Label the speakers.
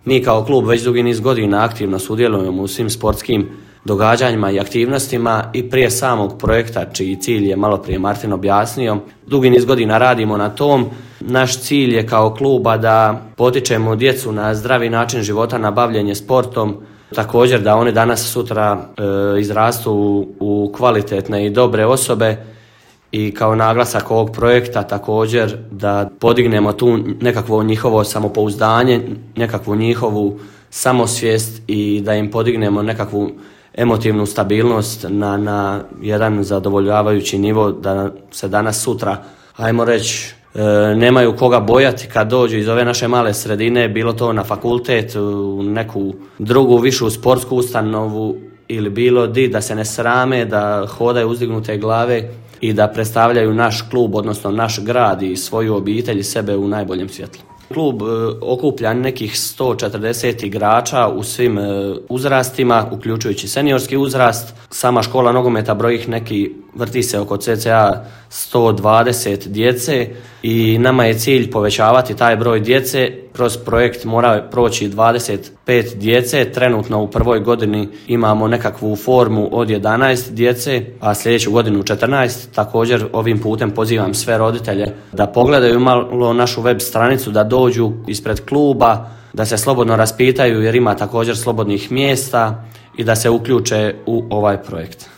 Speaker 1: Mi kao klub već dugi niz godina aktivno sudjelujemo u svim sportskim događanjima i aktivnostima i prije samog projekta, čiji cilj je malo prije Martin objasnio, dugi niz godina radimo na tom. Naš cilj je kao kluba da potičemo djecu na zdravi način života, na bavljenje sportom, također da oni danas sutra izrastu u kvalitetne i dobre osobe i kao naglasak ovog projekta također da podignemo tu nekakvo njihovo samopouzdanje, nekakvu njihovu samosvijest i da im podignemo nekakvu emotivnu stabilnost na jedan zadovoljavajući nivo, da se danas sutra, ajmo reći, nemaju koga bojati kad dođu iz ove naše male sredine, bilo to na fakultet, u neku drugu višu sportsku ustanovu ili bilo di, da se ne srame, da hodaju uzdignute glave i da predstavljaju naš klub, odnosno naš grad i svoju obitelj i sebe u najboljem svjetlu. Klub okuplja nekih 140 igrača u svim uzrastima, uključujući seniorski uzrast. Sama škola nogometa broji neki, vrti se oko cca 120 djece i nama je cilj povećavati taj broj djece. Kroz projekt mora proći 25 djece, trenutno u prvoj godini imamo nekakvu formu od 11 djece, a sljedeću godinu 14. Također ovim putem pozivam sve roditelje da pogledaju malo našu web stranicu, da dođu ispred kluba, da se slobodno raspitaju jer ima također slobodnih mjesta i da se uključe u ovaj projekt.